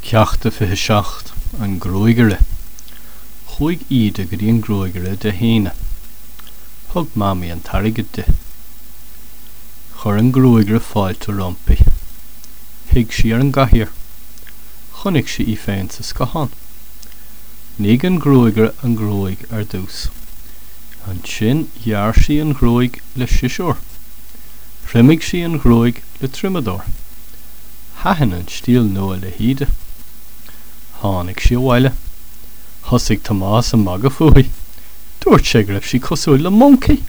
Ceacht a 27, An Gruagaire Chuaigh Íde go dtí an gruagaire Dé hAoine. Thug Mamaí an t-airgead di. Chuir an gruagaire fáilte roimpi. Shuigh sí ar an gcathaoir. Chonaic sí í féin sa scáthán. Nigh an gruagaire an ghruaig ar dtús. Ansin ghearr sí an ghruaig le siosúr. Thriomaigh sí an ghruaig le triomadóir. Thaitin an stíl nua le hÍde. Tháinig sí abhaile. Thosaigh Tomás ag magadh fúithi. Dúirt sé go raibh sí cosúil le moncaí!